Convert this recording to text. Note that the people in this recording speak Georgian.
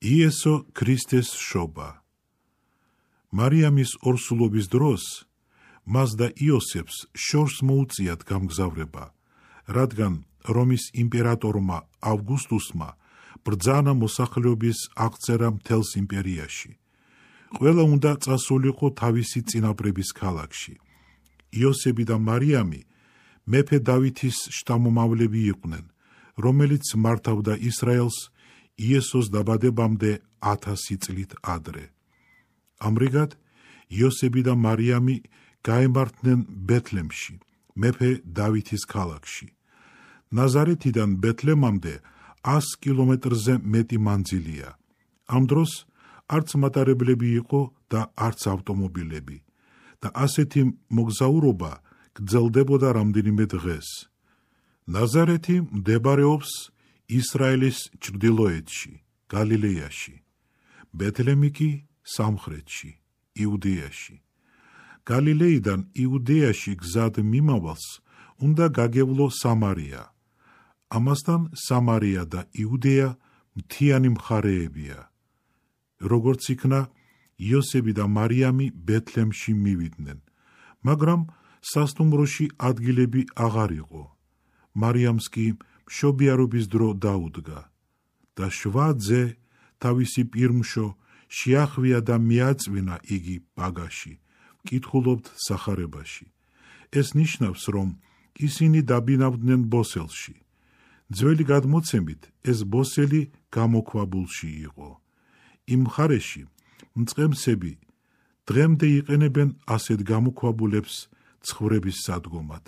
იესო ქრისტეს შობა. მარიამის ორსულობის დროს მას და იოსებს შორს მოუწიათ გამგზავრება, რადგან რომის იმპერატორმა ავგუსტუსმა ბრძანა მოსახლეობის აღწერა მთელს იმპერიაში. ყველა უნდა წასულიყო თავისი წინაპრების ქალაქში. იოსები და მარიამი მეფე დავითის შთამომავლები იყვნენ, რომელიც მართავდა ისრაელს იესოს დაბადებამდე 1000 წლით ადრე. ამრიგად, იოსები და მარიამი გაემართნენ ბეთლემში, მეფე დავითის ქალაქში. ნაზარეთიდან ბეთლემამდე 100 კილომეტრზე მეტი მანძილია. ამ დროს არც მატარებლები იყო და არც ავტომობილები და ასეთი მოგზაურობა გრძელდებოდა რამდენიმე დღეს. ნაზარეთი მდებარეობს ისრაელის ჩრდილოეთში, გალილეაში, ბეთლემი კი სამხრეთში, იუდეაში. გალილეიდან იუდეაში გზად მიმავალს უნდა გაგევლო სამარია. ამასთან სამარია და იუდეა მთიანი მხარეებია. როგორც იქნა, იოსები და მარიამი ბეთლემში მივიდნენ, მაგრამ სასტუმროში ადგილები აღარ იყო. მარიამს კი მშობიარობის დრო დაუდგა და 7 ძე თავისი პირმშო შეახვია და მიაწვინა იგი ბაგაში, მკითხულობთ სახარებაში. ეს ნიშნავს, რომ ისინი დაბინავდნენ ბოსელში. ძველი გადმოცემით, ეს ბოსელი გამოქვაბულში იყო. იმ მხარეში მწყემსები დღემდე იყენებენ ასეთ გამოქვაბულებს ცხოვრების სადგომად.